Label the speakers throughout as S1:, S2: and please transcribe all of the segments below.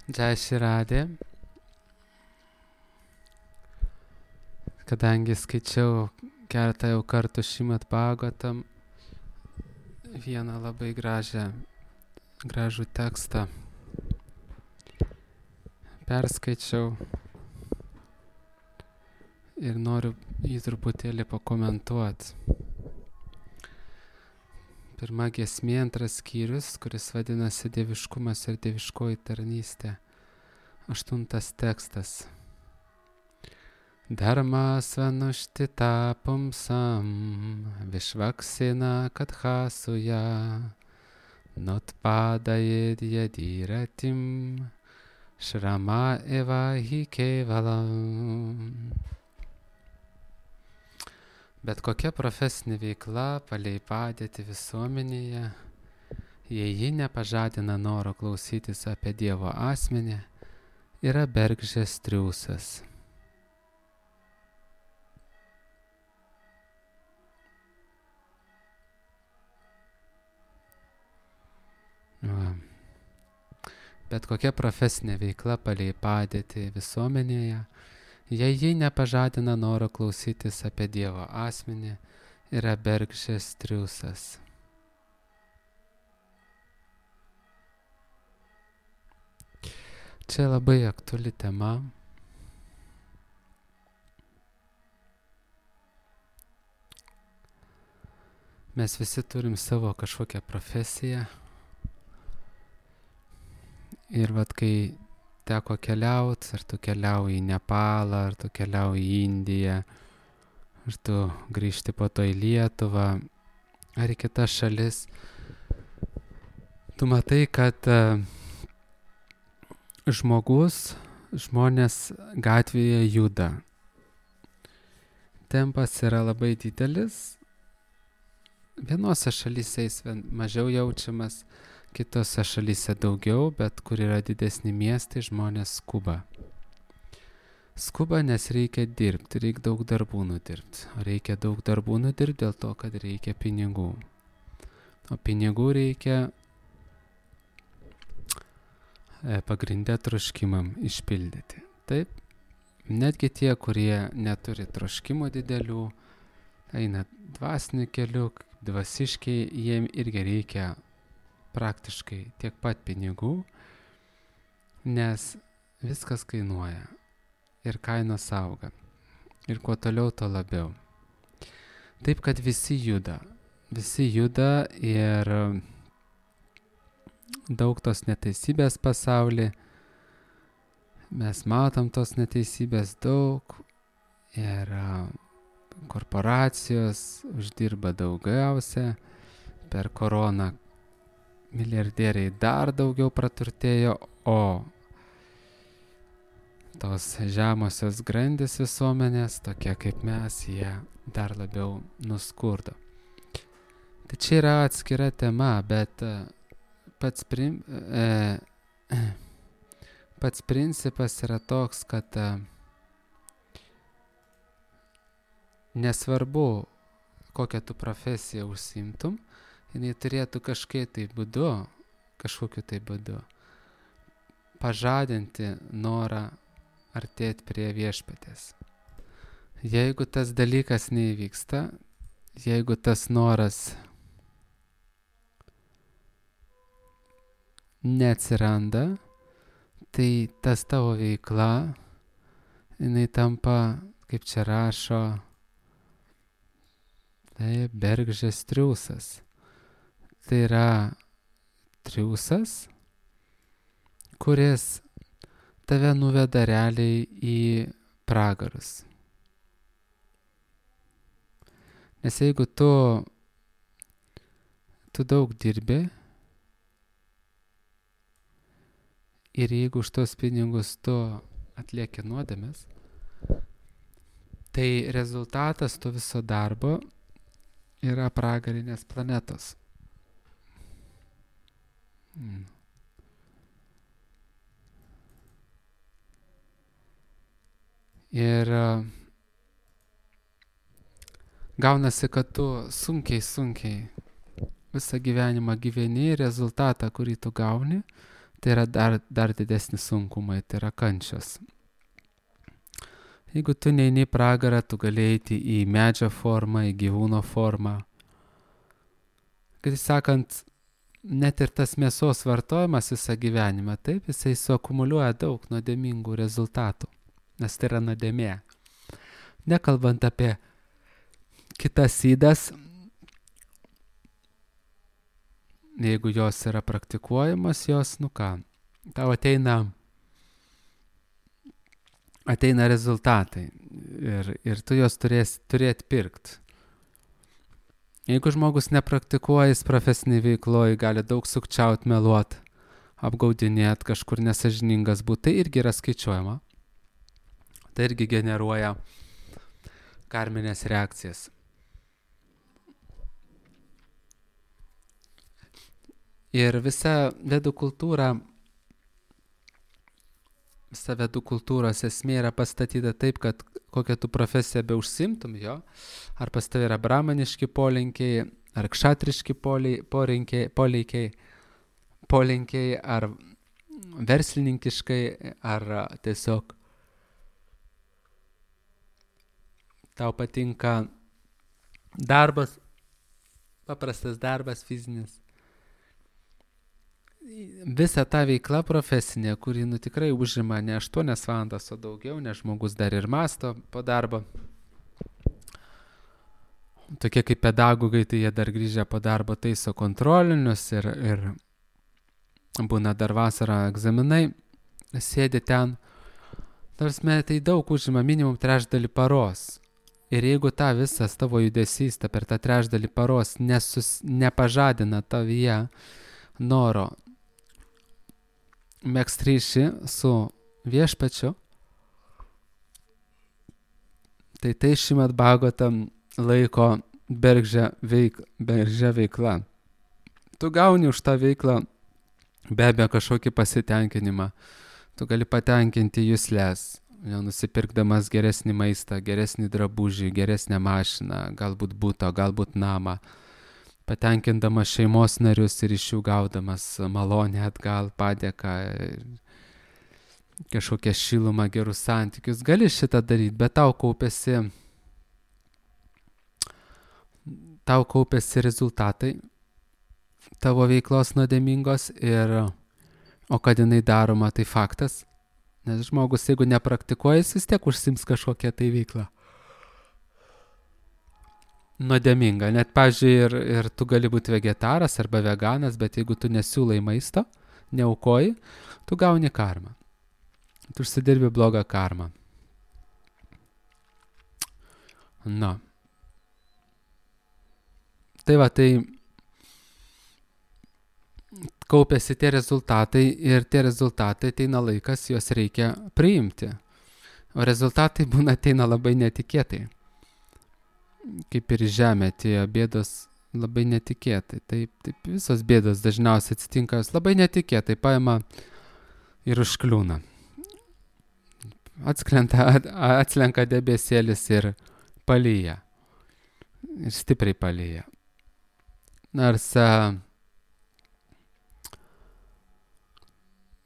S1: Jai Širadė, kadangi skaičiau keletą jau kartų Šrimad Bhagavatam, vieną labai gražų tekstą perskaičiau ir noriu jį truputėlį pakomentuoti. Pirma giesmė, antras skyrius, kuris vadinasi Dieviškumas ir dieviškoji tarnystė. 8 tekstas. Dharma svanuštita pumsam vishvaksina kathasuja nutpadayed yadiratim shrama eva hi kevalam. Bet kokia profesinė veikla palei padėtį visuomenėje, jei ji nepažadina noro klausytis apie Dievo asmenį, yra bergždžias triūsas. Bet kokia profesinė veikla palei padėtį visuomenėje, jei ji nepažadina noro klausytis apie Dievo asmenį, yra bergždžias triūsas. Čia labai aktuali tema. Mes visi turim savo kažkokią profesiją. Ir vat kai teko keliauti, ar tu keliauji į Nepalą, ar tu keliauji į Indiją, ar tu grįžti po to į Lietuvą, ar į kitas šalis, tu matai, kad žmonės gatvėje juda. Tempas yra labai didelis. Vienose šalyse jis mažiau jaučiamas, kitose šalyse daugiau, bet kur yra didesni miestai, žmonės skuba. Skuba, nes reikia dirbti, reikia daug darbų nudirbti. Reikia daug darbų nudirbti dėl to, kad reikia pinigų. O pinigų reikia pagrindę troškimam išpildyti. Taip, netgi tie, kurie neturi troškimo didelių, eina dvasiniu keliu, dvasiškai, jiem irgi reikia praktiškai tiek pat pinigų, nes viskas kainuoja ir kainos auga. Ir kuo toliau, tuo labiau. Taip, kad visi juda ir daug tos neteisybės pasaulyje. Mes matom tos neteisybės daug ir korporacijos uždirba daugiausia. Per koroną milijardieriai dar daugiau praturtėjo, o tos žemosios grandys visuomenės, tokie kaip mes, jie dar labiau nuskurdo. Tai čia yra atskira tema, bet pats principas yra toks, kad nesvarbu, kokią tu profesiją užsiimtum, jinai turėtų kažkokiu tai būdu pažadinti norą artėti prie viešpaties. Jeigu tas dalykas neįvyksta, jeigu tas noras neatsiranda, tai tas tavo veikla, jinai tampa, kaip čia rašo, tai bergždžias triūsas. Tai yra triūsas, kuris tave nuveda realiai į pragarus. Nes jeigu tu daug dirbi ir jeigu už tos pinigus tu atlieki nuodėmes, tai rezultatas to viso darbo yra pragarinės planetos. Ir gaunasi, kad tu sunkiai visą gyvenimą gyveni, rezultatą, kurį tu gauni, tai yra dar didesni sunkumai, tai yra kančios. Jeigu tu neini į pragarą, tu gali eiti į medžio formą, į gyvūno formą. Kaip sakant, net ir tas mėsos vartojimas visą gyvenimą, taip, jisai suakumuliuoja daug nuodėmingų rezultatų, nes tai yra nuodėmė. Nekalbant apie kitas ydas, jeigu jos yra praktikuojamas, jos, tau ateina rezultatai ir tu jos turėti pirkti. Jeigu žmogus nepraktikuoja, jis profesiniai veikloje gali daug sukčiauti, meluoti, apgaudinėti, kažkur nesažiningas būti, tai irgi yra skaičiuojama. Tai irgi generuoja karminės reakcijas. Ir visa vedų kultūros esmė yra pastatyta taip, kad kokią tu profesiją be užsimtum jo, ar pas tavai yra brahmaniški polinkiai, ar kšatriški polinkiai, ar verslininkiškai, ar tiesiog tau patinka darbas, paprastas darbas fizinis. Visa ta veikla profesinė, kuri tikrai užima ne 8 valandas, o daugiau, nes žmogus dar ir mąsto po darbo. Tokie kaip pedagogai, tai jie dar grįžę po darbo taiso kontrolinius ir būna dar vasarą egzaminai, sėdi ten. Tarsime, tai daug užima minimum 3/3 paros. Ir jeigu ta visas tavo judesys per tą 3/3 paros nepažadina tavyje noro megzt ryšį su viešpačiu, tai Šrimad Bhagavatam laiko bergždžia veikla. Tu gauni už tą veiklą be abejo kažkokį pasitenkinimą. Tu gali patenkinti juslės, nusipirkdamas geresnį maistą, geresnį drabužį, geresnę mašiną, galbūt butą, galbūt namą, patenkindamas šeimos narius ir iš jų gaudamas malonę atgal, padėką, kažkokią šilumą, gerus santykius. Gali šitą daryti, bet tau kaupėsi rezultatai tavo veiklos nuodėmingos, o kad jinai daroma, tai faktas. Nes žmogus, jeigu nepraktikuoja, jis vis tiek užsims kažkokią tai veiklą nuodėminga. Net, pavyzdžiui, ir tu gali būti vegetaras arba veganas, bet jeigu tu nesiūlai maisto, neaukoji, tu gauni karmą. Tu užsidirbi blogą karmą. Tai kaupėsi tie rezultatai ir tie rezultatai ateina laikas, juos reikia priimti. O rezultatai ateina labai netikėtai. Kaip ir žemė atėjo bėdos labai netikėtai. Taip visos bėdos dažniausiai atsitinka, jos labai netikėtai paima ir užkliūna. Atslenka debesėlis ir palyja. Ir stipriai palyja. Nors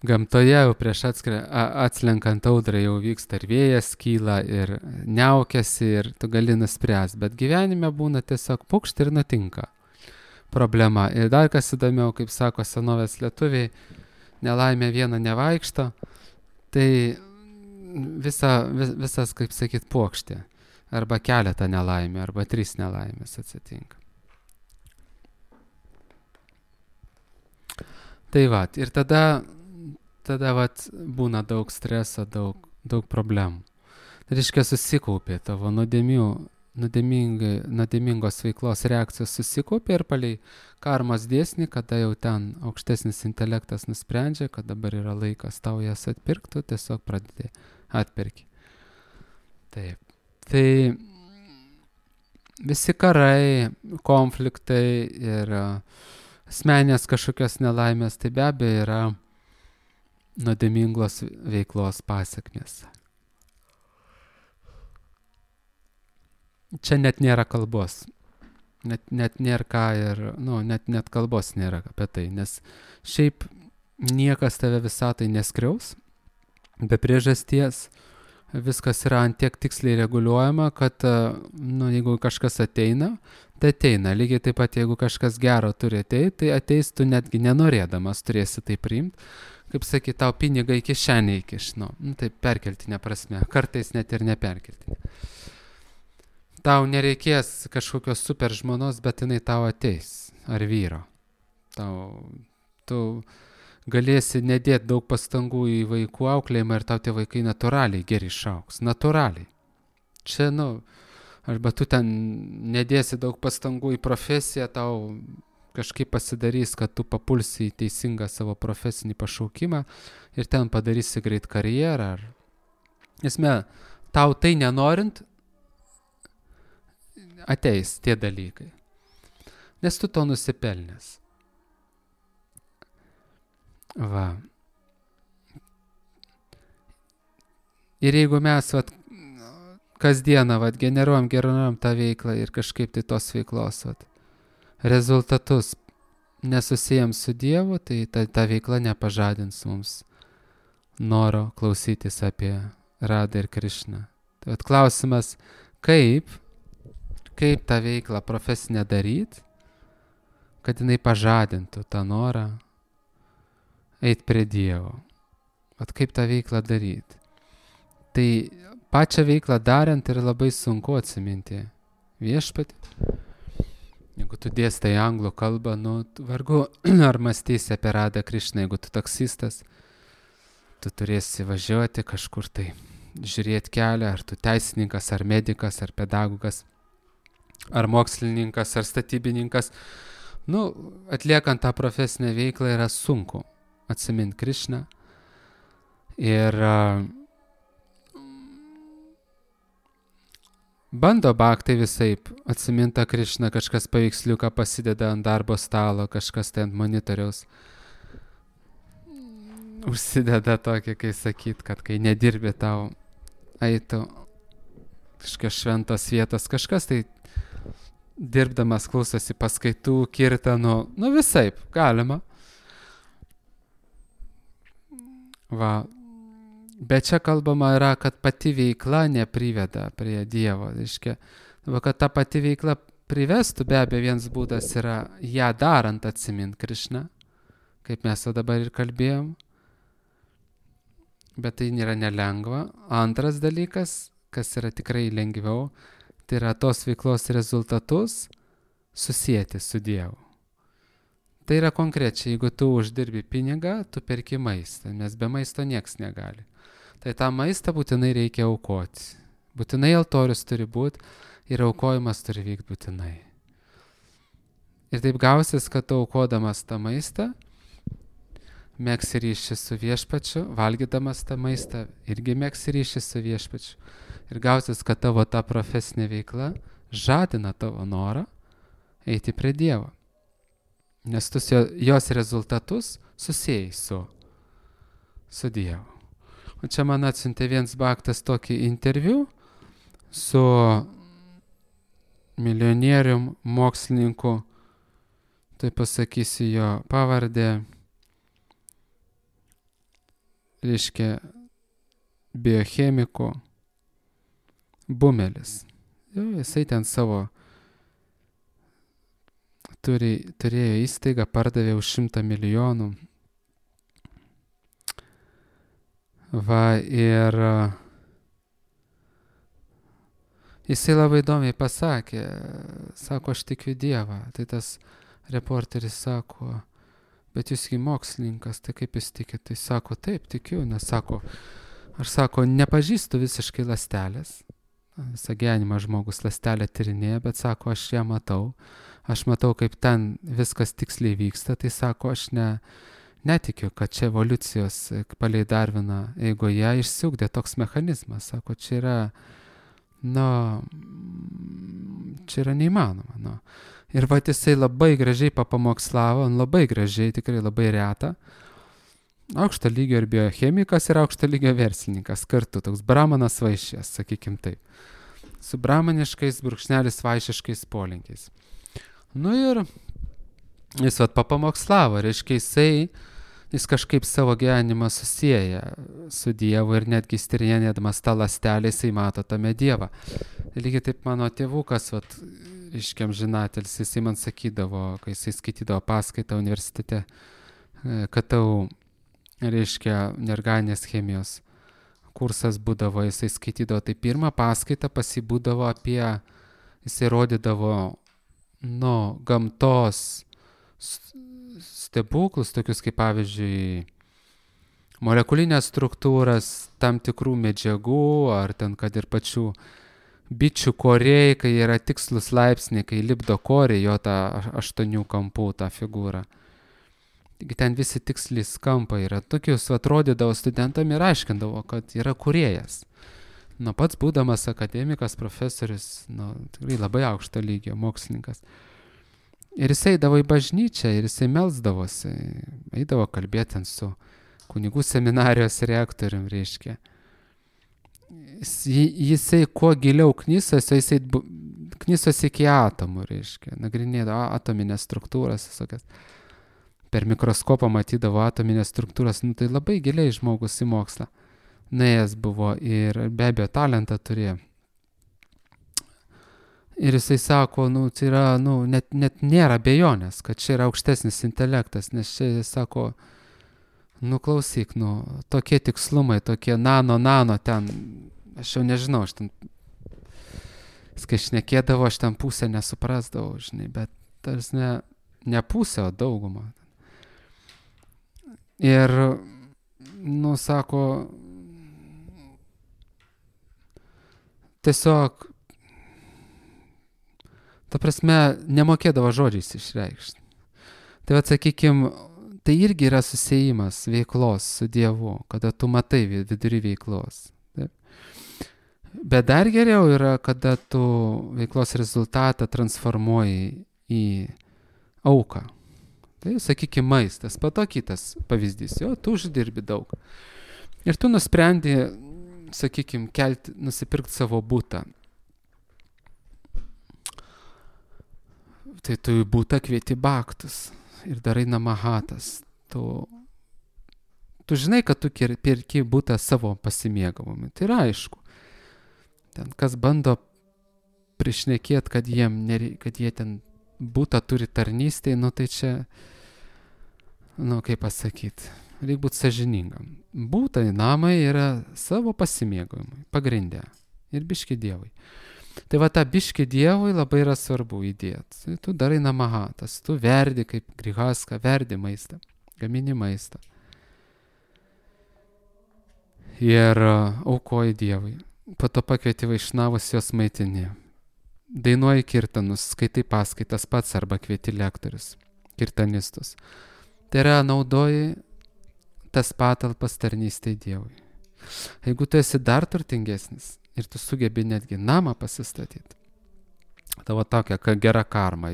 S1: gamtoje jau prieš atslenkant audrą jau vyksta ir vėjas kyla ir niaukiasi ir tu gali nuspręsti, bet gyvenime būna tiesiog pukšt ir nutinka problema. Ir dar kas įdomiau, kaip sako senovės lietuviai, nelaimė viena nevaikšto, tai visas, kaip sakyt, puokštė. Arba keletą nelaimė, arba 3 nelaimės atsitinka. Tai ir tada būna daug streso, daug problemų. Tai reiškia, susikaupė tavo nuodėmingos veiklos reakcijos susikaupė ir palei karmos dėsnį, kada jau ten aukštesnis intelektas nusprendžia, kad dabar yra laikas tau jas atpirkti, tiesiog pradedi atpirki. Taip. Tai visi karai, konfliktai ir asmenės kažkokios nelaimės, tai be abejo yra nuodėmingos veiklos pasekmės. Čia net nėra kalbos. Net nėra ką ir, net kalbos nėra apie tai, nes šiaip niekas tave visatai neskriaus, be priežasties. Viskas yra ant tiek tiksliai reguliuojama, kad jeigu kažkas ateina, tai ateina. Lygiai taip pat, jeigu kažkas gero turi ateiti, tai ateis tu netgi nenorėdamas turėsi tai priimti. Kaip sakyt, tau pinigai kišenė įkiš. Taip perkeltinė prasme, kartais net ir neperkeltinė. Tau nereikės kažkokios super žmonos, bet jinai tau ateis. Ar vyro. Tu galėsi nedėti daug pastangų į vaikų auklėjimą ir tau tie vaikai natūraliai geri išauks. Natūraliai. Čia, arba tu ten nedėsi daug pastangų į profesiją, tau kažkaip pasidarys, kad tu papulsi į teisingą savo profesinį pašaukimą ir ten padarysi greit karjerą. Esmė, tau tai nenorint, ateis tie dalykai. Nes tu to nusipelnęs. Va. Ir jeigu mes kasdieną generuojam tą veiklą ir kažkaip tai tos veiklos rezultatus nesusijam su Dievu, tai ta veikla nepažadins mums noro klausytis apie Radą ir Krišną. Tai klausimas, kaip tą veiklą profesinę daryti, kad jinai pažadintų tą norą eit prie Dievo. Kaip tą veiklą daryti? Tai pačią veiklą darant yra labai sunku atsiminti viešpatį. Jeigu tu dėstai anglų kalbą, vargu ar mąstysi apie Radą Krišną. Jeigu tu taksistas, tu turėsi važiuoti kažkur tai, žiūrėti kelią, ar tu teisininkas, ar medikas, ar pedagogas, ar mokslininkas, ar statybininkas. Atliekant tą profesinę veiklą yra sunku atsiminti Krišną. Ir bando bhaktai visaip atsiminti Krišną, kažkas paveiksliuką pasideda ant darbo stalo, kažkas tai ant monitoriaus užsideda tokį, kai sakyt, kad kai nedirbi tau eitų kažkokios šventos vietos, kažkas tai dirbdamas klausosi paskaitų, kirtanų, visaip galima. Va. Bet čia kalbama yra, kad pati veikla nepriveda prie Dievo. Kad ta pati veikla privestų, be abejo, vienas būdas yra ją darant atsiminti Krišną, kaip mes dabar ir kalbėjom. Bet tai nėra nelengva. Antras dalykas, kas yra tikrai lengviau, tai yra tos veiklos rezultatus susijęti su Dievu. Tai yra konkrečiai, jeigu tu uždirbi pinigą, tu perki maistą, nes be maisto nieks negali. Tai tą maistą būtinai reikia aukoti. Būtinai altorius turi būti ir aukojimas turi vykti būtinai. Ir taip gausis, kad tu aukodamas tą maistą, megsi ryšį su viešpačiu, valgydamas tą maistą, irgi megsi ryšį su viešpačiu. Ir gausis, kad tavo ta profesinė veikla žadina tavo norą eiti prie Dievo. Nes tu jos rezultatus susijai su Dievu. O čia man atsiuntė vienas bhaktas tokį interviu su milijonierium mokslininku, tai pasakysiu jo pavardę, reiškia biochemiku Bumelis. Jisai ten savo turėjo įstaigą, pardavė už 100 milijonų. Va, ir jisai labai įdomiai pasakė, sako, aš tikiu Dievą. Tai tas reporteris sako, bet jūsgi mokslininkas, tai kaip jūs tikit? Tai sako, taip, tikiu, nes sako, aš sako, nepažįstu visiškai ląstelės. Visą gyvenimą žmogus ląstelę tyrinėja, bet sako, aš ją matau. Aš matau, kaip ten viskas tiksliai vyksta, tai sako, aš netikiu, kad čia evoliucijos palei Darviną eigoje išsiugdė toks mechanizmas. Sako, čia yra neįmanoma. Ir va, jisai labai gražiai papamokslavo, labai gražiai, tikrai labai reta. Aukšto lygio ir biochemikas ir aukšto lygio verslininkas kartu, toks brahmanas vaišės, sakykim taip. Su brahmaniškais brūkšnelis vaišiškais polinkiais. Ir jis papamokslavo, reiškia jis kažkaip savo gyvenimą susieja su Dievu ir netgi tyrinėdamas tą ląstelę jisai mato tame Dievą. Lygiai taip mano tėvukas, reiškia amžinatelis, jisai man sakydavo, kai jisai skaitydavo paskaitą universitete, KTU, reiškia neorganinės chemijos kursas būdavo, jisai skaitydavo, tai pirmą paskaitą pasibūdavo apie, jisai rodydavo, gamtos stebuklus, tokius kaip pavyzdžiui, molekulinės struktūras tam tikrų medžiagų, ar ten, kad ir pačių bičių koriai, kai yra tikslus laipsniai, kai lipdo koriai, jo tą 8 kampų tą figūrą. Taigi ten visi tikslys kampai yra. Tokius atrodydavo studentam ir aiškindavo, kad yra kūrėjas. Pats būdamas akademikas, profesorius, tikrai labai aukšto lygio mokslininkas. Ir jis eidavo į bažnyčią ir jisai melsdavosi, eidavo kalbėti su kunigų seminarijos rektorium, reiškia. Jisai kuo giliau knysosi, jisai knysosi iki atomų, reiškia, nagrinėdavo atominės struktūras visokias. Per mikroskopą matydavo atominės struktūras, tai labai giliai žmogus į mokslą nuėjęs buvo ir be abejo talentą turėjo. Ir jisai sako, tai yra, net nėra abejonės, kad čia yra aukštesnis intelektas, nes čia jis sako, klausyk, tokie tikslumai, tokie nano ten, aš jau nežinau, aš ten, kai šnekėdavo, aš ten pusę nesuprasdavau, žinai, bet tarsi ne pusę, o daugumą. Ir, sako, tiesiog, ta prasme, nemokėdavo žodžiais išreikšti. Tai sakykime, tai irgi yra susiejimas veiklos su Dievu, kada tu matai vidury veiklos. Taip. Bet dar geriau yra, kada tu veiklos rezultatą transformuoji į auką. Tai, sakykime, maistas, po to kitas pavyzdys, tu uždirbi daug. Ir tu nusprendi, sakykime, nusipirkti savo butą. Tai tu į butą kvieti baktus ir darai namahatas. Tu žinai, kad tu pirki butą savo pasimėgavimui. Tai yra aišku. Ten kas bando prišnekėti, kad jie ten butą turi tarnystėj, tai čia, kaip pasakyti, reikia būti sąžiningam. Būtai namai yra savo pasimėgavimui, pagrindė. Ir biški Dievui. Tai tą biški Dievui labai yra svarbu įdėti. Tu darai namahatas, tu verdi kaip grihaska, verdi maistą, gamini maistą. Ir aukoji Dievui. Po to pakvieti vaišnavus, jos maitini. Dainuoji kirtanus, skaitai paskaitas pats arba kvieti lektorius, kirtanistus. Tai yra naudoji tas patalpas tarnystei Dievui. Jeigu tu esi dar turtingesnis ir tu sugebi netgi namą pasistatyti, tavo tokia gera karma,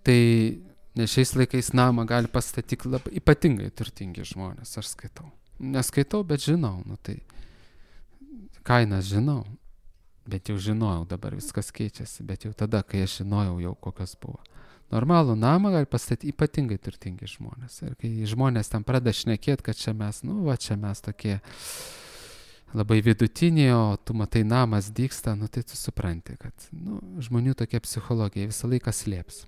S1: tai nes šiais laikais namą gali pastatyti labai ypatingai turtingi žmonės, aš skaitau. Neskaitau, bet žinau, tai kainas žinau, bet jau žinojau, dabar viskas keičiasi, bet jau tada, kai aš žinojau jau kokios buvo. Normalų namą gali pastatyti ypatingai turtingi žmonės. Ir kai žmonės ten pradeda šnekėti, kad čia mes, čia mes tokie labai vidutiniai, o tu matai namas dygsta, tai tu supranti, kad žmonių tokia psichologija visą laiką slėps,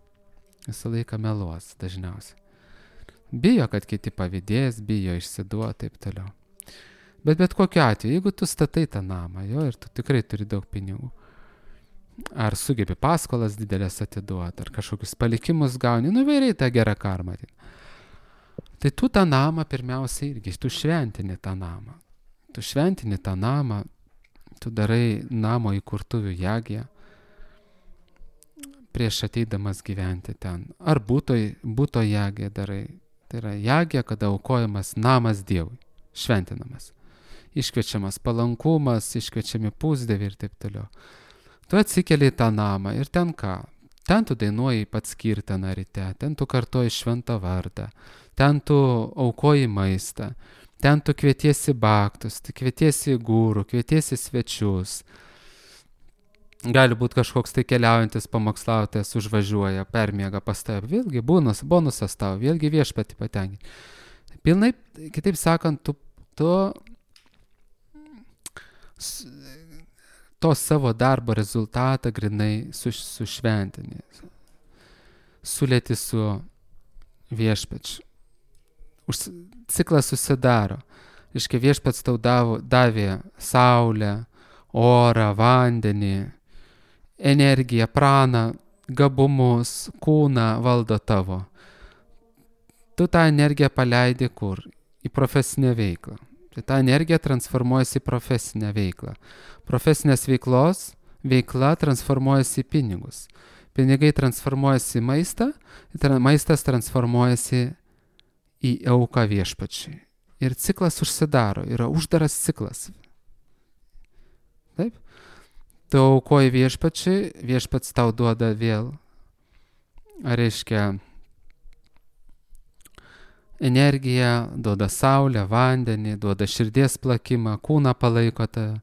S1: visą laiką meluos dažniausiai. Bijo, kad kiti pavydės, bijo išsiduoti, taip toliau. Bet kokiu atveju, jeigu tu statai tą namą, ir tu tikrai turi daug pinigų, ar sugebi paskolas didelės atiduoti, ar kažkokius palikimus gauni, įvairiai tą gerą karmą. Tai tu tą namą pirmiausia irgi, tu šventini tą namą. Tu šventini tą namą, tu darai namo įkurtuvių jagiją, prieš ateidamas gyventi ten. Ar būto jagiją darai. Tai yra jagija, kada aukojamas namas Dievui, šventinamas. Iškviečiamas palankumas, iškviečiami pusdieviai ir taip toliau. Tu atsikeli į tą namą ir ten ką? Ten tu dainuoji pats kirtaną ryte, ten tu kartoji šventą vardą, ten tu aukoji maistą, ten tu kvietiesi baktus, tu kvietiesi gūrų, kvietiesi svečius. Gali būti kažkoks tai keliaujantis pamokslautojas užvažiuoja, permiega pas tave, vėlgi bonusas tau, vėlgi viešpatį patenkinti. Pilnai, kitaip sakant, tu to savo darbo rezultatą grinai sušventini, sulėti su viešpačiu. Ciklas susidaro. Iškai viešpats tau davė saulę, orą, vandenį, energiją, praną, gabumus, kūną valdo tavo. Tu tą energiją paleidi kur? Į profesinę veiklą. Tai ta energija transformuojasi į profesinę veiklą. Profesinės veikla transformuojasi į pinigus. Pinigai transformuojasi į maistą, maistas transformuojasi į auką viešpačiui. Ir ciklas užsidaro, yra uždaras ciklas. Taip? Tu aukoji viešpačiui, viešpats tau duoda vėl, reiškia, energiją, duoda saulę, vandenį, duoda širdies plakimą, kūną palaiko tave.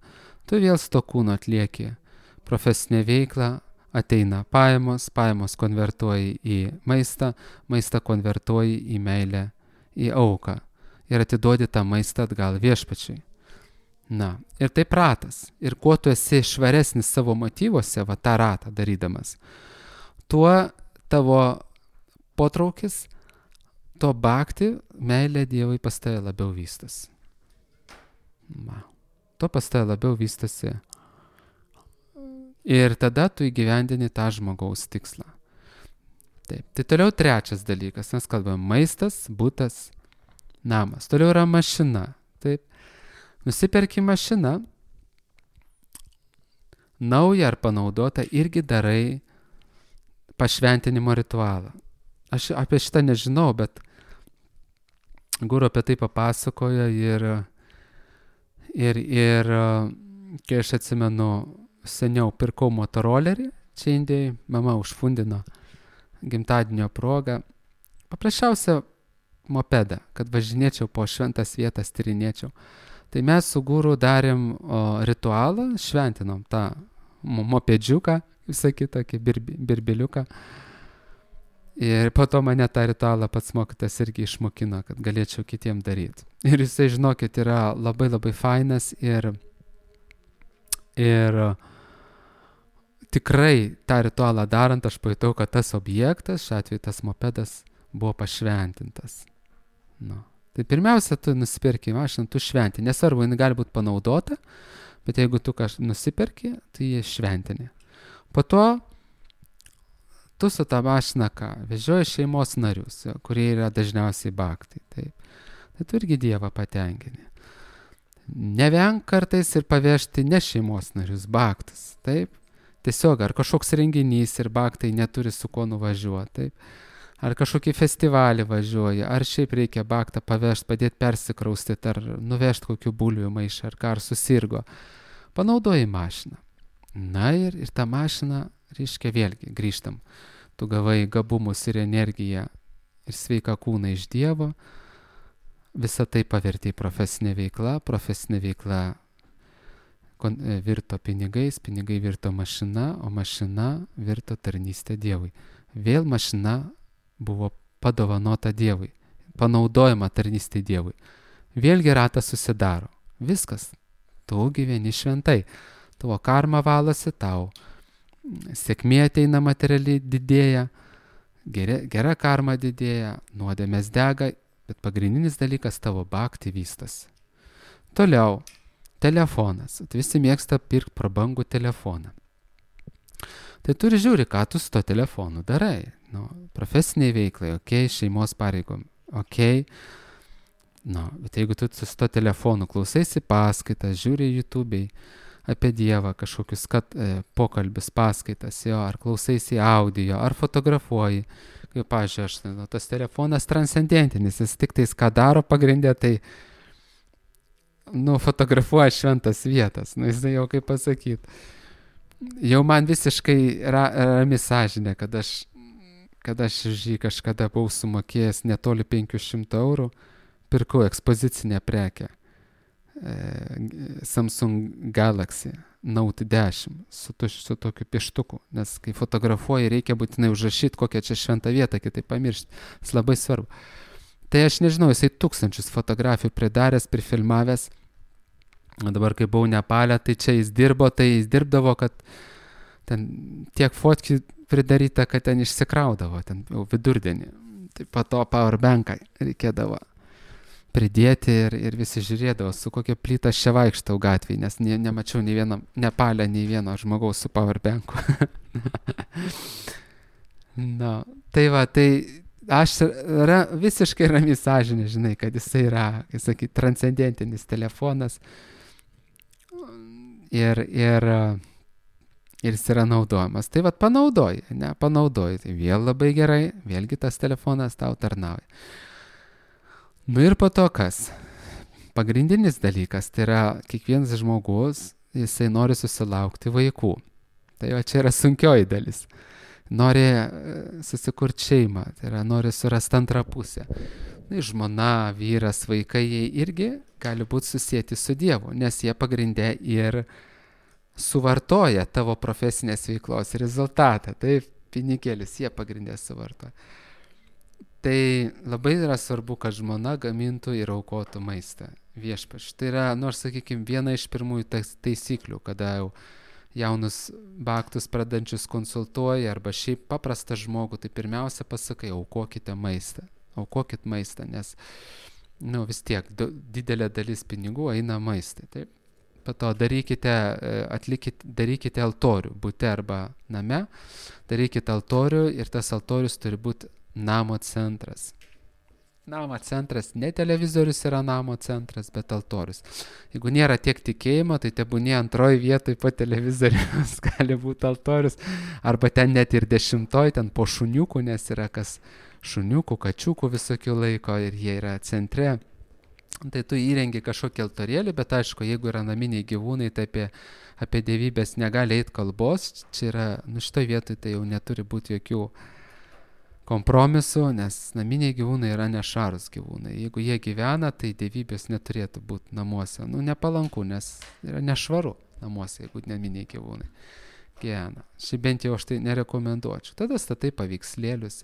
S1: Tu vėl su to kūnu atlieki profesinę veiklą, ateina pajamos konvertuoji į maistą konvertuoji į meilę, į auką ir atiduodi tą maistą atgal viešpačiui. Na, ir taip ratas. Ir kuo tu esi švaresnis savo motyvuose, va tą ratą darydamas, tuo tavo potraukis, to bhakti, meilė Dievui pas tave labiau vystosi. To pas tave labiau vystosi. Ir tada tu įgyvendini tą žmogaus tikslą. Taip. Tai toliau trečias dalykas. Mes kalbame maistas, butas, namas. Toliau yra mašina. Taip. Nusiperki mašiną, naują ar panaudotą, irgi darai pašventinimo ritualą. Aš apie šitą nežinau, bet guru apie tai papasakojo ir kai aš atsimenu, seniau pirkau motorolerį, čia Indijai, mama užfundino gimtadienio progą, paprasčiausią mopedą, kad važinėčiau po šventas vietas, tyrinėčiau. Tai mes su guru darėm ritualą, šventinom tą mopedžiuką, visą kitą, birbeliuką. Ir po to mane tą ritualą pats mokytas irgi išmokino, kad galėčiau kitiem daryti. Ir jisai, žinokit, yra labai labai fainas ir tikrai tą ritualą darant, aš pajutau, kad tas objektas, šiuo atveju tas mopedas, buvo pašventintas. Tai pirmiausia, tu nusipirki mašiną, tu šventi. Nesvarbu, jinai gali būti panaudota, bet jeigu tu nusipirki, tai jie šventini. Po to tu su tą mašiną vežioji šeimos narius, kurie yra dažniausiai bhaktai. Tai tu irgi Dievą patenkini. Nevenk kartais ir pavežti ne šeimos narius, bhaktus. Taip? Tiesiog ar kažkoks renginys ir bhaktai neturi su kuo nuvažiuoti. Taip? Ar kažkokį festivalį važiuoja, ar šiaip reikia bhaktą pavežti, padėti persikraustyti, ar nuvežti kokių bulvių maišą, ar ką, ar susirgo. Panaudoji mašiną. Na ir tą mašiną, reiškia vėlgi, grįžtam. Tu gavai gabumus ir energiją ir sveiką kūną iš Dievo. Visą tai pavertė į profesinę veikla virto pinigais, pinigai virto mašina, o mašina virto tarnystė Dievui. Vėl mašina buvo padovanota Dievui, panaudojama tarnystė Dievui. Vėlgi ratas susidaro. Viskas. Tu gyveni šventai. Tavo karma valosi, tau sėkmė ateina materialiai didėja, gera karma didėja, nuodėmės dega, bet pagrindinis dalykas tavo bhakti vystosi. Toliau, telefonas. Visi mėgsta pirkti prabangų telefoną. Tai tu ir žiūri, ką tu su to telefonu darai. Profesiniai veiklai, šeimos pareigom, bet jeigu tu su to telefonu klausaisi paskaitas, žiūri YouTube'ai apie Dievą, kažkokius pokalbius, paskaitas, ar klausaisi audio, ar fotografuoji, kaip, pavyzdžiui, tas telefonas transcendentinis, jis tik tais ką daro pagrindė, tai fotografuoja šventas vietas, jis jau kaip pasakyti. Jau man visiškai rami sąžinė, kad aš už jį kažkada buvau sumokėjęs netoli 500 eurų, pirkau ekspozicinę prekę Samsung Galaxy Note 10 su tokiu pieštuku, nes kai fotografuoji, reikia būtinai užrašyti, kokią čia šventą vietą, kitaip pamiršti. Tas labai svarbu. Tai aš nežinau, jisai 1000 fotografijų pridaręs, prifilmavęs. Dabar, kai buvau Nepale, tai čia jis dirbdavo, kad ten tiek fotkių pridaryta, kad ten išsikraudavo, ten jau vidurdienį. Tai po to powerbanką reikėdavo pridėti ir visi žiūrėdavo, su kokia plyta aš čia vaikštau gatvėje, nes nemačiau nei vieno Nepale, nei vieno žmogaus su powerbanku. Na, tai va, tai aš visiškai rami sąžinė, žinai, kad jisai yra, kaip sakyt, transcendentinis telefonas ir jis yra naudojamas. Tai vat panaudoji, tai vėl labai gerai, vėlgi tas telefonas tau tarnauja. Nu ir po to kas? Pagrindinis dalykas, tai yra kiekvienas žmogus, jisai nori susilaukti vaikų. Tai jo čia yra sunkioji dalis. Nori susikurti šeimą, tai yra nori surasti antrą pusę. Na, žmona, vyras, vaikai, jie irgi gali būti susijęti su Dievu, nes jie pagrindė ir suvartoja tavo profesinės veiklos rezultatą. Taip, pinigėlis jie pagrindė suvartoja. Tai labai yra svarbu, kad žmona gamintų ir aukotų maistą viešpačiui. Tai yra, nors, sakykime, viena iš pirmųjų taisyklių, kada jau jaunus baktus pradančius konsultuoji arba šiaip paprastą žmogų, tai pirmiausia pasakai, aukokite maistą. Aukokit maistą, nes vis tiek didelė dalis pinigų eina maistai. Taip? Po to darykite altorių, bute arba name, darykite altorių ir tas altorius turi būti namo centras. Namo centras, ne televizorius yra namo centras, bet altorius. Jeigu nėra tiek tikėjimo, tai tebūnie antroji vietoj po televizorius gali būti altorius, arba ten net ir 10, ten po šuniukų, nes yra kas šuniukų, kačiukų visokių laiko ir jie yra centre. Tai tu įrengi kažkokį altorėlį, bet aišku, jeigu yra naminiai gyvūnai, tai apie dievybės negali eiti kalbos. Čia yra, šitoj vietoj tai jau neturi būti jokių kompromisų, nes naminiai gyvūnai yra nešvarūs gyvūnai. Jeigu jie gyvena, tai dievybės neturėtų būti namuose. Nepalanku, nes yra nešvaru namuose, jeigu naminiai gyvūnai gyvena. Šiaip bent jau aš tai nerekomenduočiau. Tada statai paveikslėlius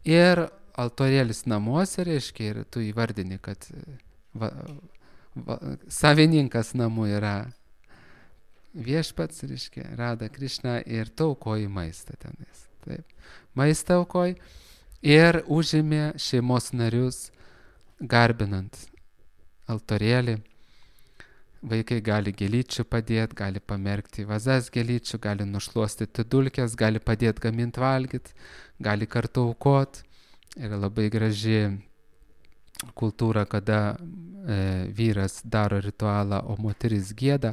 S1: ir altorėlis namuose, reiškia, ir tu įvardini, kad savininkas namų yra viešpats, reiškia, Rada Krišna, ir tu aukoji maistą tenais. Taip. Maistą aukoji ir užėmė šeimos narius garbinant altorėlį. Vaikai gali gėlyčių padėti, gali pamerkti vazas gėlyčių, gali nušluostyti dulkes, gali padėti gaminti valgyti, gali kartu aukoti. Yra labai graži kultūra, kada vyras daro ritualą, o moteris gieda,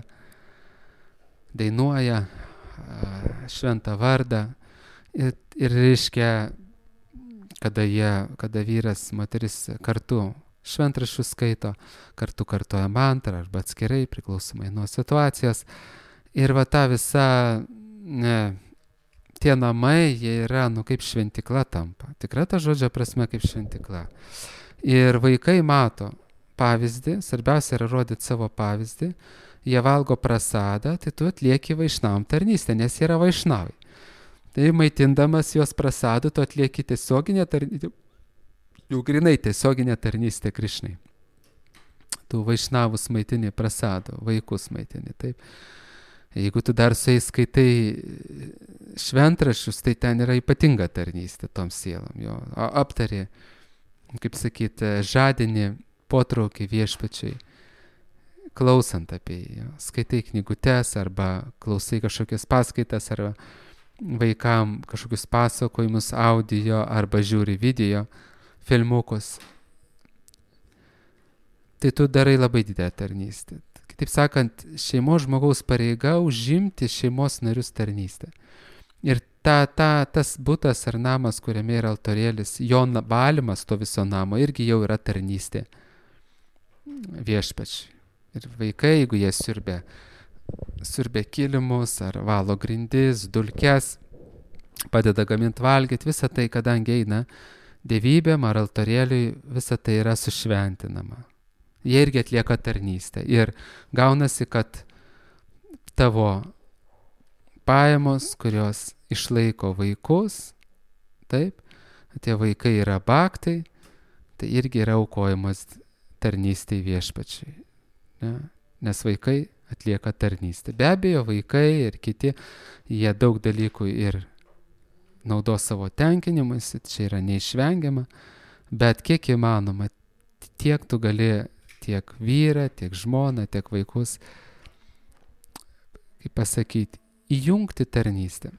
S1: dainuoja šventą vardą ir reiškia, kada vyras, moteris kartu šventraščius skaito, kartu kartoja mantrą arba atskirai, priklausomai nuo situacijos. Ir va ta visa tie namai, jie yra, kaip šventikla tampa. Tikra ta žodžio prasme kaip šventikla. Ir vaikai mato pavyzdį, svarbiausia yra rodyti savo pavyzdį, jie valgo prasadą, tai tu atlieki vaišnavam tarnystę, nes jie yra vaišnavai. Tai maitindamas juos prasadu, tu atlieki tiesioginę tarnystę, jau grinai tiesioginę tarnystę Krišnai. Tu vaišnavus maitini prasadu, vaikus maitini, taip. Jeigu tu dar su jais skaitai šventraščius, tai ten yra ypatinga tarnystė tom sielom. Jo aptari, kaip sakyti, žadini potraukį viešpačiui, klausant apie jį. Skaitai knygutes arba klausai kažkokias paskaitas arba vaikam kažkokius pasakojimus audio arba žiūri video filmukus. Tai tu darai labai didelę tarnystę. Kitaip sakant, šeimos žmogaus pareiga užimti šeimos narius tarnystę. Ir tas butas ar namas, kuriame yra altorėlis, jo valymas to viso namo irgi jau yra tarnystė viešpačiui. Ir vaikai, jeigu jie siurbia kilimus ar valo grindis, dulkes, padeda gaminti valgyti, visa tai, kadangi eina dievybėm ar altorėliui, visa tai yra sušventinama. Jie irgi atlieka tarnystę. Ir gaunasi, kad tavo pajamos, kurios išlaiko vaikus, taip, tie vaikai yra baktai, tai irgi yra aukojimas tarnystei viešpačiui. Ne? Nes vaikai atlieka tarnystę. Be abejo, vaikai ir kiti, jie daug dalykų ir naudos savo tenkinimuisi, čia yra neišvengiama, bet kiek įmanoma, tiek tu gali tiek vyrą, tiek žmoną, tiek vaikus, kaip pasakyti, įjungti tarnystę.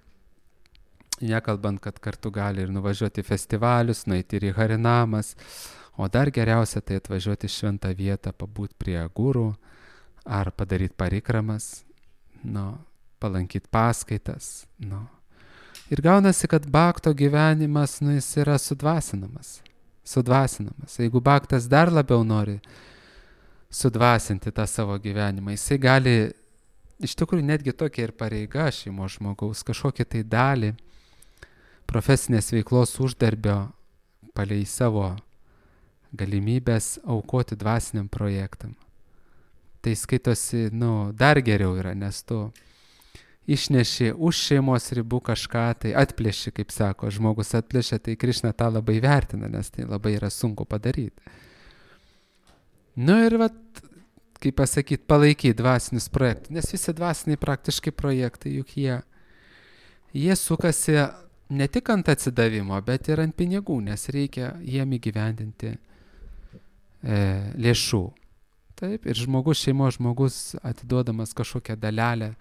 S1: Nekalbant, kad kartu gali ir nuvažiuoti į festivalius, nueiti ir į harinamas, o dar geriausia tai atvažiuoti į šventą vietą, pabūt prie gurų, ar padaryti parikramas, palankyti paskaitas. Ir gaunasi, kad bakto gyvenimas, jis yra sudvasinamas. Jeigu baktas dar labiau nori sudvasinti tą savo gyvenimą, jisai gali, iš tikrųjų netgi tokia ir pareiga šeimos žmogaus, kažkokią tai dalį profesinės veiklos uždarbio palei savo galimybės aukoti dvasiniam projektam. Tai skaitosi, dar geriau yra, nes tu išneši už šeimos ribų kažką, tai atplėši, kaip sako, žmogus atplėšia, tai Krišna tą labai vertina, nes tai labai yra sunku padaryti. Ir kaip pasakyti, palaikyti dvasinius projektus, nes visi dvasiniai praktiškai projektai, juk jie sukasi ne tik ant atsidavimo, bet ir ant pinigų, nes reikia jiem įgyvendinti lėšų. Taip, ir šeimos žmogus atiduodamas kažkokią dalelę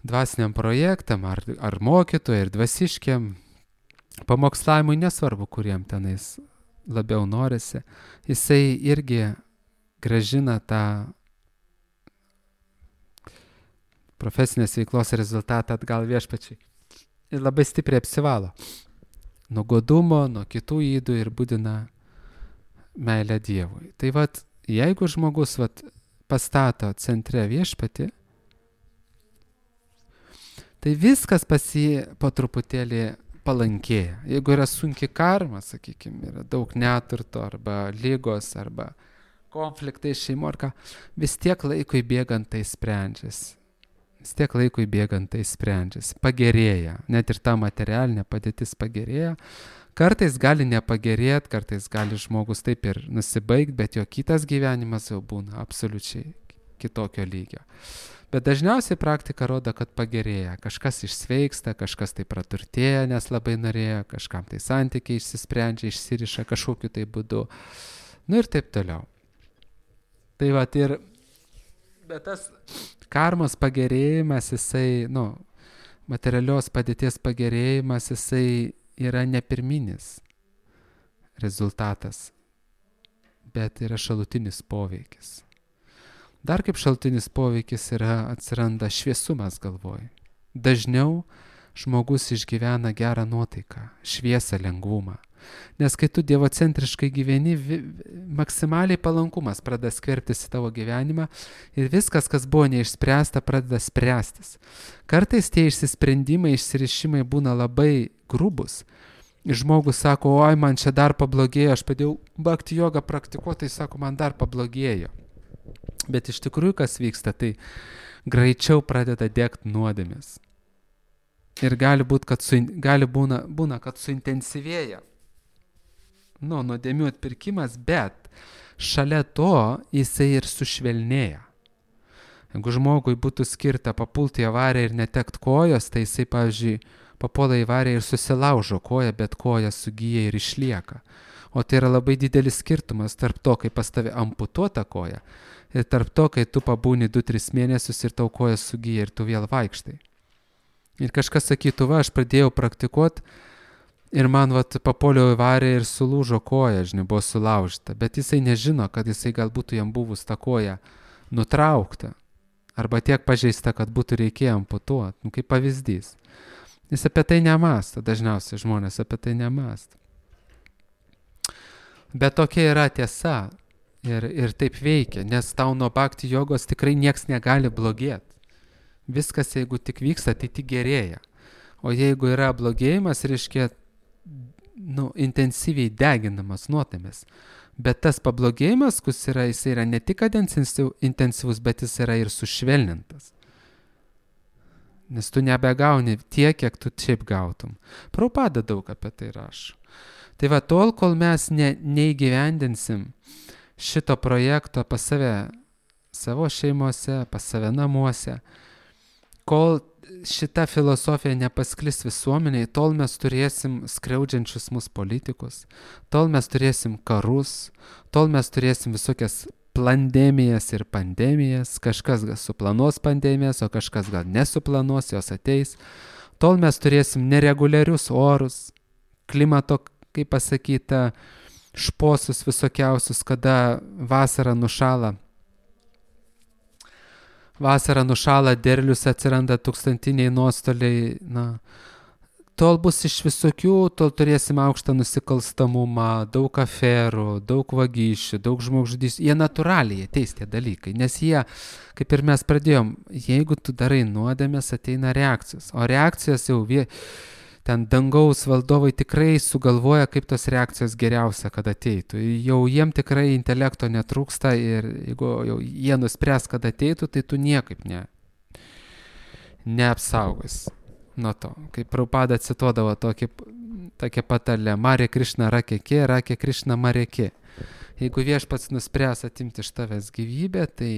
S1: dvasiniam projektam, ar mokytojui, ir dvasiškiam, pamokslavimui, nesvarbu, kuriem tenais labiau norisi, jisai irgi grąžina tą profesinės veiklos rezultatą atgal viešpačiai. Ir labai stipriai apsivalo nuo godumo, nuo kitų ydų ir būdina meilę Dievui. Tai jeigu žmogus pastato centre viešpatį, tai viskas pas jį po truputėlį palankėja. Jeigu yra sunki karma, sakykime, yra daug neturto arba lygos arba konfliktai šeimoje, vis tiek laikui bėgant tai sprendžiasi. Pagerėja. Net ir ta materialinė padėtis pagerėja. Kartais gali nepagerėti, kartais gali žmogus taip ir nusibaigti, bet jo kitas gyvenimas jau būna absoliučiai kitokio lygio. Bet dažniausiai praktika rodo, kad pagerėja. Kažkas išsveiksta, kažkas tai praturtėja, nes labai norėjo, kažkam tai santykiai išsisprendžia, išsiriša kažkokiu tai būdu. Ir taip toliau. Bet tas karmos pagerėjimas, jisai, materialios padėties pagerėjimas, jisai yra ne pirminis rezultatas, bet yra šalutinis poveikis. Dar kaip šalutinis poveikis atsiranda šviesumas galvoj. Dažniau žmogus išgyvena gerą nuotaiką, šviesą, lengvumą. Nes kai tu dievocentriškai gyveni, maksimaliai palankumas pradeda skverbtis į tavo gyvenimą ir viskas, kas buvo neišspręsta, pradeda spręstis. Kartais tie išsisprendimai, išsirišimai būna labai grubus. Ir žmogus sako, oi, man čia dar pablogėjo, aš padėjau bhakti jogą praktikuoti, tai sako, man dar pablogėjo. Bet iš tikrųjų, kas vyksta, tai greičiau pradeda degti nuodėmės. Ir gali būna, kad suintensyvėja nuodėmių atpirkimas, bet šalia to jisai ir sušvelnėja. Jeigu žmogui būtų skirta papulti į avariją ir netekt kojos, tai jisai, pavyzdžiui, papuola į avariją ir susilaužo koją, bet koja sugyja ir išlieka. O tai yra labai didelis skirtumas tarp to, kai pas tave amputuota koja, ir tarp to, kai tu pabūni 2-3 mėnesius ir tau koja sugyja ir tu vėl vaikštai. Ir kažkas sakytų, aš pradėjau praktikuoti ir man papuoliau į avariją ir sulūžo koja, buvo sulaužta, bet jisai nežino, kad jisai galbūt jam buvus tą koją nutraukta arba tiek pažeista, kad būtų reikėję amputuoti, kaip pavyzdys. Jis apie tai nemąsto, dažniausiai žmonės apie tai nemąsto. Bet tokia yra tiesa ir taip veikia, nes tau nuo bhakti jogos tikrai nieks negali blogėti. Viskas, jeigu tik vyksta, tai tik gerėja. O jeigu yra blogėjimas, reiškia intensyviai deginamas nuodėmės. Bet tas pablogėjimas, jis yra ne tik kad intensyvus, bet jis yra ir sušvelnintas. Nes tu nebegauni tiek, kiek tu šiaip gautum. Prabhupada daug apie tai rašo. Tai va, tol, kol mes neįgyvendinsim šito projekto pas save, savo šeimose, pas save namuose, kol šita filosofija nepasklis visuomeniai, tol mes turėsim skriaudžiančius mus politikus, tol mes turėsim karus, tol mes turėsim visokias pandemijas ir pandemijas, kažkas gal suplanuos pandemijas, o kažkas gal nesuplanuos, jos ateis, tol mes turėsim nereguliarius orus, klimato, kaip pasakyta, šposus visokiausius, kada vasara nušala, derlius atsiranda tūkstantiniai nuostoliai, tol bus iš visokių, tol turėsim aukštą nusikalstamumą, daug aferų, daug vagysčių, daug žmogžudysčių. Jie natūraliai ateis tie dalykai, nes jie, kaip ir mes pradėjom, jeigu tu darai nuodėmės, ateina reakcijos, o reakcijos jau ten dangaus valdovai tikrai sugalvoja, kaip tos reakcijos geriausia, kad ateitų. Jau jiem tikrai intelekto netrūksta ir jeigu jau jie nuspręs, kad ateitų, tai tu niekaip neapsaugos nuo to. Kaip Prabhupada cituodavo tokią patarlę, Marė Krišna rakekė, rakė Krišna marekė. Jeigu viešpats nuspręs atimti iš tavęs gyvybę, tai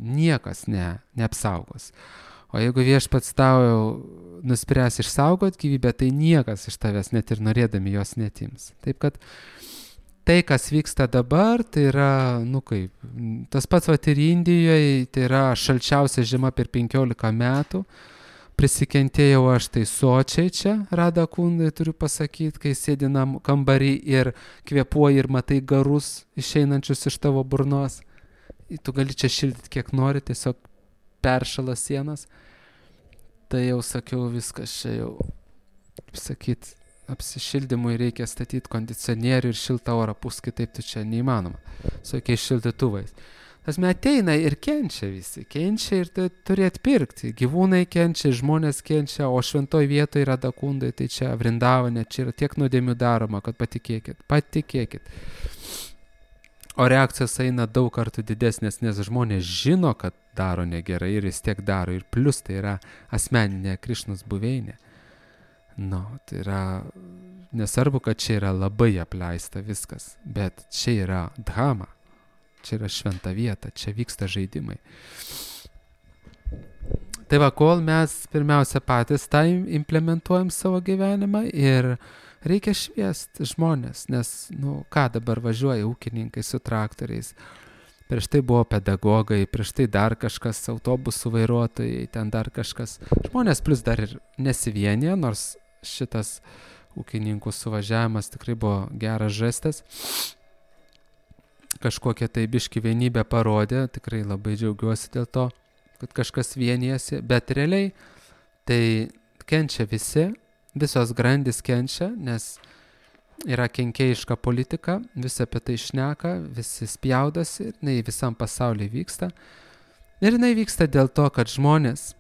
S1: niekas neapsaugos. O jeigu viešpats tau nuspręs išsaugoti gyvybę, tai niekas iš tavęs net ir norėdami jos netims. Taip kad tai, kas vyksta dabar, tai yra, tas pats ir Indijoje, tai yra šalčiausia žiema per 15 metų. Prisikentėjau aš tai sočiai čia, Rada Kundai, turiu pasakyti, kai sėdinam kambarį ir kvėpuoji ir matai garus išeinančius iš tavo burnos. Tu gali čia šildyti kiek nori, tiesiog peršala sienas. Tai jau sakiau, viskas čia jau, kaip sakyt, apsišildymui reikia statyti kondicionierių ir šiltą orą pūs, kitaip tu čia neįmanoma. Su jokiais šildytuvais. Tasme ateina ir kenčia visi. Kenčia ir tai turi atpirkti. Gyvūnai kenčia, žmonės kenčia, o šventoj vietoje yra Dakundai, tai čia Vrindavane, čia yra tiek nuodėmių daroma, kad patikėkit. O reakcijos eina daug kartų didesnės, nes žmonės žino, kad daro negerai ir vis tiek daro. Ir plus tai yra asmeninė Krišnos buveinė. Tai yra, nesvarbu, kad čia yra labai apleista viskas, bet čia yra dhama, čia yra šventa vieta, čia vyksta žaidimai. Tai va, kol mes pirmiausia patys tą implementuojam savo gyvenimą ir reikia šviesti žmonės, nes, ką dabar važiuoja ūkininkai su traktoriais. Prieš tai buvo pedagogai, prieš tai dar kažkas, autobusų vairuotojai, ten dar kažkas. Žmonės plus dar ir nesivienė, nors šitas ūkininkų suvažiavimas tikrai buvo geras žestas. Kažkokią tai biškį vienybę parodė, tikrai labai džiaugiuosi dėl to, kad kažkas vienijasi, bet realiai tai kenčia visi. Visos grandys kenčia, nes yra kenkėjiška politika, visi apie tai šneka, visi spjaudosi, jinai visam pasaulyje vyksta. Ir jinai vyksta dėl to, kad žmonės,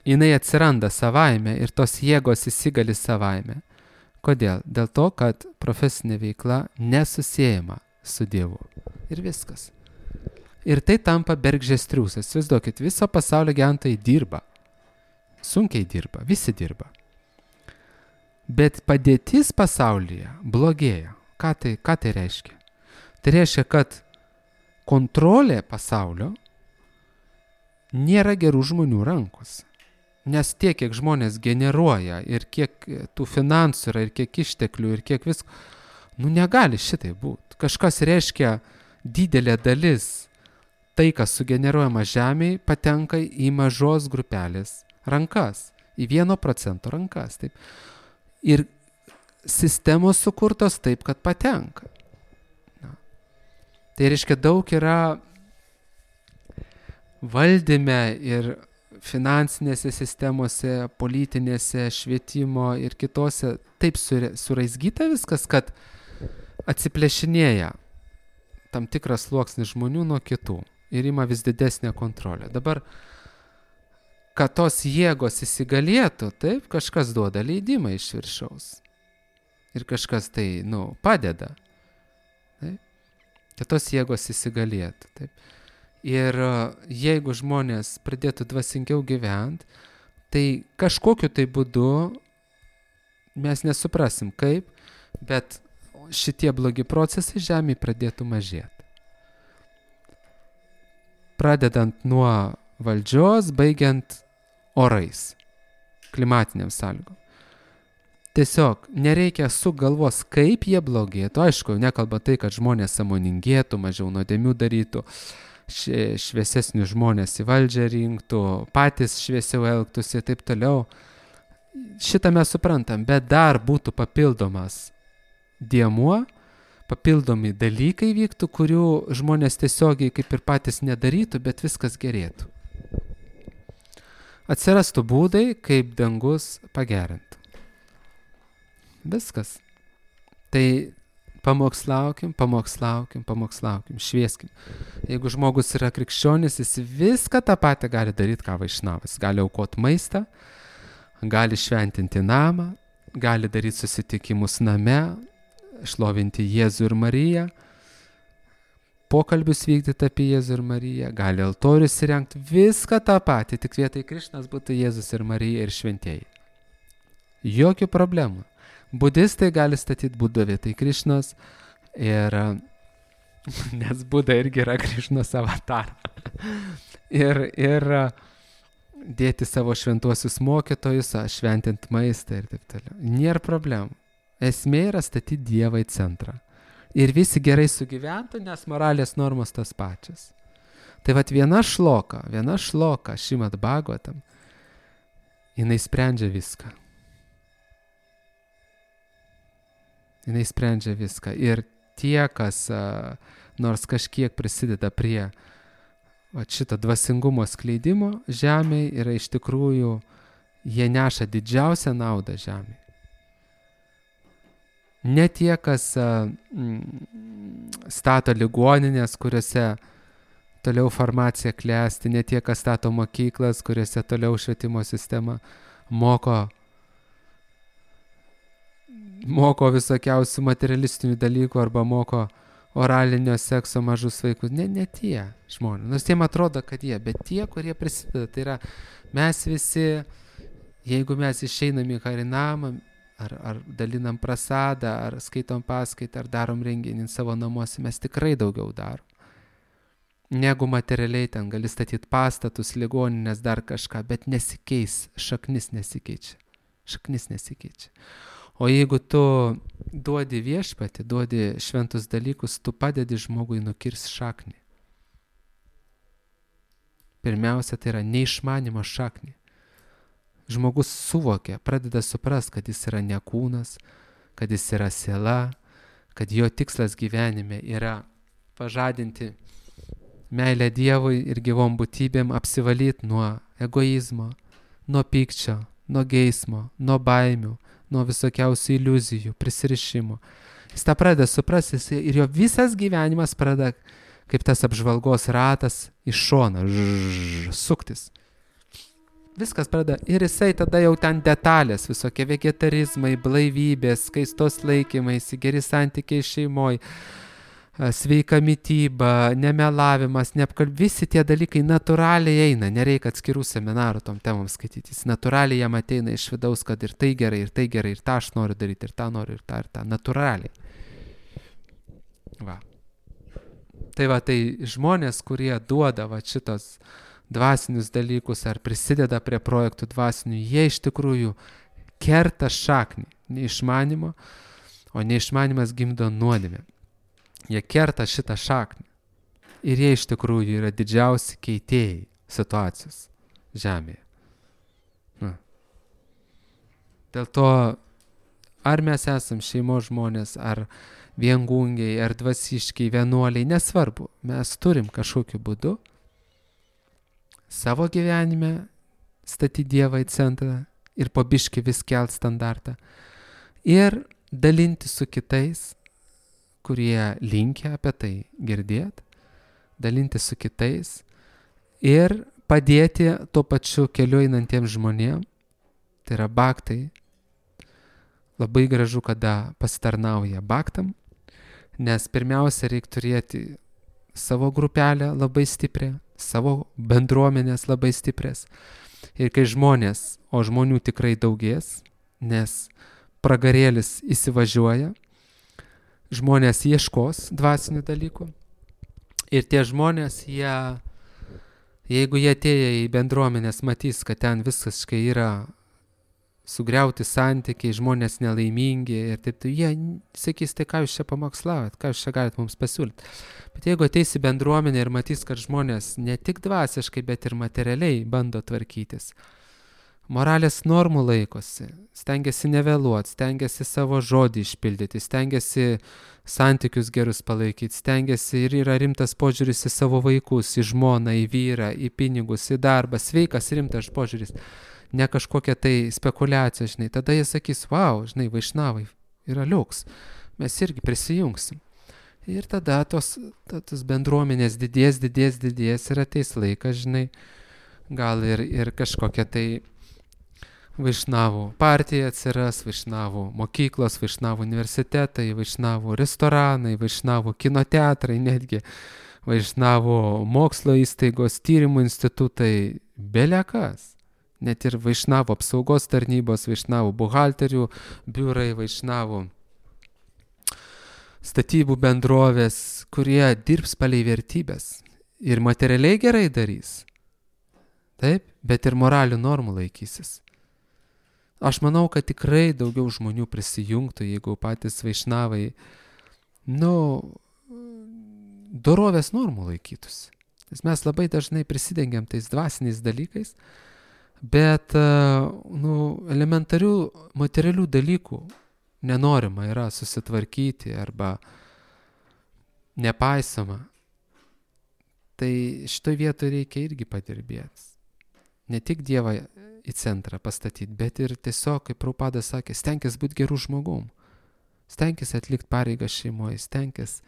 S1: jinai atsiranda savaime ir tos jėgos įsigali savaime. Kodėl? Dėl to, kad profesinė veikla nesusiejama su Dievu. Ir viskas. Ir tai tampa bergždžias triūsas. Įsivaizduokit, viso pasaulio gyventojai dirba. Sunkiai dirba, visi dirba. Bet padėtis pasaulyje blogėja. Ką tai reiškia? Tai reiškia, kad kontrolė pasaulio nėra gerų žmonių rankose. Nes tiek, kiek žmonės generuoja ir kiek tų finansų yra ir kiek išteklių ir kiek visko, negali šitai būti. Kažkas reiškia didelė dalis, tai, kas sugeneruojama žemėje, patenka į mažos grupelės rankas, į 1% rankas. Taip. Ir sistemos sukurtos taip, kad patenka. Tai reiškia, daug yra valdyme ir finansinėse sistemose, politinėse, švietimo ir kitose taip suraizgyta viskas, kad atsiplėšinėja tam tikras sluoksnis žmonių nuo kitų ir ima vis didesnę kontrolę. Dabar, kad tos jėgos įsigalėtų, taip, kažkas duoda leidimą iš viršaus. Ir kažkas tai, padeda. kad tos jėgos įsigalėtų. Taip. Ir jeigu žmonės pradėtų dvasingiau gyventi, tai kažkokiu tai būdu mes nesuprasim kaip, bet šitie blogi procesai žemėje pradėtų mažėti. Pradedant nuo valdžios, baigiant orais, klimatiniam sąlygom. Tiesiog nereikia sugalvos, kaip jie blogėtų. Aišku, nekalba tai, kad žmonės sąmoningėtų, mažiau nuodėmių darytų, šviesesnių žmonės į valdžią rinktų, patys šviesiau elgtųsi ir taip toliau. Šitą mes suprantam, bet dar būtų papildomas dėmuo, papildomi dalykai vyktų, kurių žmonės tiesiogiai kaip ir patys nedarytų, bet viskas gerėtų. Atsirastų būdai, kaip dangus pagerintų. Viskas. Tai pamokslaukim, švieskim. Jeigu žmogus yra krikščionis, jis viską tą patį gali daryti, ką Vaišnavas. Gali aukoti maistą, gali šventinti namą, gali daryti susitikimus name, šlovinti Jėzų ir Mariją, pokalbius vykdyti apie Jėzų ir Mariją, gali altorius įrengti, viską tą patį, tik vietoj Krišnas būtų Jėzus ir Marija ir šventieji. Jokių problemų. Budistai gali statyti Budą vietoj Krišnos, ir nes Buda irgi yra Krišnos avatar. ir dėti savo šventuosius mokytojus, šventinti maistą ir taip toliau. Nėra problemų. Esmė yra statyti Dievą į centrą. Ir visi gerai sugyventų, nes moralės normos tas pačias. Tai vat viena šloka, Šrimad Bhagavatam, jinai sprendžia viską. Ir tie, kas nors kažkiek prisideda prie šito dvasingumo skleidimo žemėje, yra iš tikrųjų, jie neša didžiausią naudą žemėje. Ne tie, kas stato ligoninės, kuriuose toliau farmacija klesti, ne tie, kas stato mokyklas, kuriuose toliau švietimo sistema moko visokiausių materialistinių dalykų arba moko oralinio sekso mažus vaikus. Ne tie žmonės. Nors jiem atrodo, kad jie, bet tie, kurie prisideda. Tai yra mes visi, jeigu mes išeinam į Harinamą, ar dalinam prasadą, ar skaitom paskaitą, ar darom renginį savo namuose, mes tikrai daugiau darom. Negu materialiai ten gali statyti pastatus, ligoninės, dar kažką, bet nesikeis, šaknis nesikeičia. O jeigu tu duodi viešpatį, duodi šventus dalykus, tu padedi žmogui nukirsti šaknį. Pirmiausia, tai yra neišmanimo šaknį. Žmogus suvokia, pradeda suprast, kad jis yra ne kūnas, kad jis yra siela, kad jo tikslas gyvenime yra pažadinti meilę Dievui ir gyvom būtybėm, apsivalyti nuo egoizmo, nuo pykčio, nuo geismo, nuo baimių, nuo visokiausių iliuzijų, prisirišimų. Jis tą pradeda suprasti ir jo visas gyvenimas pradeda kaip tas apžvalgos ratas iš šono suktis. Viskas pradeda ir jisai tada jau ten detalės, visokie vegetarizmai, blaivybės, skaistos laikymaisi, geri santykiai šeimoje, sveika mityba, nemelavimas, visi tie dalykai natūraliai eina, nereikia atskirų seminarų tom temom skaityti, jis natūraliai jam ateina iš vidaus, kad ir tai gerai, ir tą aš noriu daryti, ir tą noriu, ir tą, natūraliai. Va. Tai žmonės, kurie duoda šitos dvasinius dalykus ar prisideda prie projektų dvasinių, jie iš tikrųjų kerta šaknį neišmanimo, o neišmanimas gimdo nuodėmę. Jie kerta šitą šaknį ir jie iš tikrųjų yra didžiausi keitėjai situacijos žemėje. Dėl to, ar mes esam šeimos žmonės, ar viengungiai, ar dvasiškiai, vienuoliai, nesvarbu, mes turim kažkokiu būdu savo gyvenime statyti Dievą į centrą ir po biškį vis kelt standartą ir dalinti su kitais, kurie linkia apie tai girdėti, dalinti su kitais ir padėti tuo pačiu keliu einantiems žmonėms, tai yra bhaktai. Labai gražu, kada pasitarnauja bhaktam, Nes pirmiausia, reikia turėti savo grupelę labai stiprią, savo bendruomenės labai stiprias. Ir kai žmonės, o žmonių tikrai daugės, nes pragarėlis įsivažiuoja, žmonės ieškos dvasinių dalykų. Ir tie žmonės, jeigu jie atėję į bendruomenės, matys, kad ten viskas yra sugriauti santykiai, žmonės nelaimingi ir taip, tai jie sakys, tai ką jūs čia pamokslavot, ką jūs čia galit mums pasiūlyti. Bet jeigu ateis į bendruomenę ir matys, kad žmonės ne tik dvasiškai, bet ir materialiai bando tvarkytis, moralės normų laikosi, stengiasi nevėluoti, stengiasi savo žodį išpildyti, stengiasi santykius gerus palaikyti, stengiasi ir yra rimtas požiūris į savo vaikus, į žmoną, į vyrą, į pinigus, į darbą, sveikas rimtas požiūris. Ne kažkokia tai spekulacija, žinai, tada jie sakys, wow, žinai, vaišnavai yra liuks, mes irgi prisijungsim. Ir tada tos bendruomenės didės ir ateis laikas, žinai, gal ir kažkokia tai vaišnavų partija atsiras, vaišnavų mokyklos, vaišnavų universitetai, vaišnavų restoranai, vaišnavų kino teatrai, netgi vaišnavų mokslo įstaigos, tyrimų institutai, belekas. Net ir vaišnavų apsaugos tarnybos, vaišnavų buhalterių biurai, vaišnavų statybų bendrovės, kurie dirbs palei vertybės ir materialiai gerai darys. Taip, bet ir moralių normų laikysis. Aš manau, kad tikrai daugiau žmonių prisijungtų, jeigu patys vaišnavai, dorovės normų laikytųsi. Nes mes labai dažnai prisidengiam tais dvasiniais dalykais, bet elementarių materialių dalykų nenorima yra susitvarkyti arba nepaisoma. Tai šitoj vietoj reikia irgi padirbėti. Ne tik Dievą į centrą pastatyti, bet ir tiesiog, kaip Prabhupada sakė, stenkis būti gerų žmogum. Stenkis atlikti pareigą šeimoje, stenkis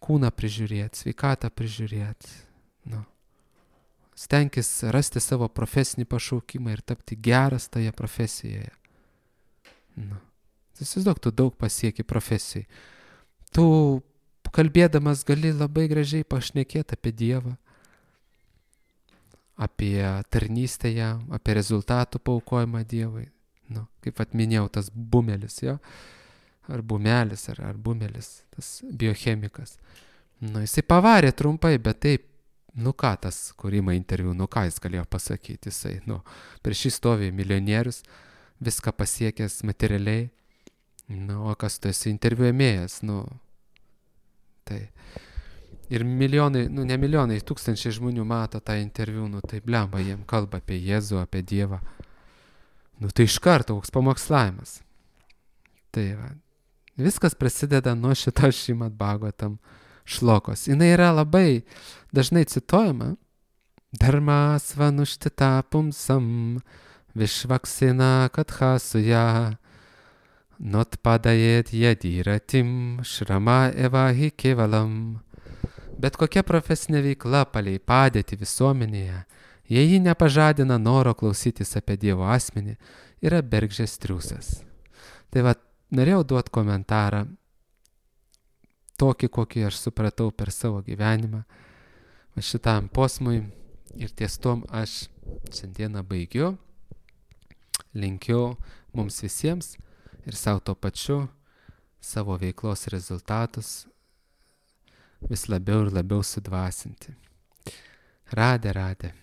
S1: kūną prižiūrėti, sveikatą prižiūrėti. Stenkis rasti savo profesinį pašaukimą ir tapti geras toje profesijoje. Įsivaizduok, tu daug pasieki profesijai. Tu kalbėdamas gali labai gražiai pašnekėti apie Dievą, apie tarnystę jam, apie rezultatų paaukojimą Dievui. Kaip atminėjau, tas bumelis, jo? Ar bumelis, ar bumelis, tas biochemikas. Jisai pavarė trumpai, bet taip, ką tas, kur ima interviu, ką jis galėjo pasakyti, jisai, prieš jį stovi milijonierius, viską pasiekęs materialiai, o kas tu esi interviu ėmėjas, tai. Ir milijonai, ne milijonai, tūkstančiai žmonių mato tą interviu, tai blemba jiem kalba apie Jėzų, apie Dievą. Tai iš karto koks pamokslavimas. Tai va, viskas prasideda nuo šito Šrimad Bhagavatam šlokos. Jinai yra labai dažnai cituojama. Dharma svanuštita pumsam vishvaksina kathasuja notpadajet yadiratim shrama evahi kevalam. Bet kokia profesinė veikla palei padėtį visuomenėje, jei ji nepažadina noro klausytis apie Dievo asmenį, yra bergždžias triūsas. Tai va, norėjau duoti komentarą, tokį, kokį aš supratau per savo gyvenimą, šitam posmui, ir ties tom aš šiandieną baigiu. Linkiu mums visiems ir savo to pačiu savo veiklos rezultatus vis labiau ir labiau sudvasinti. Radė.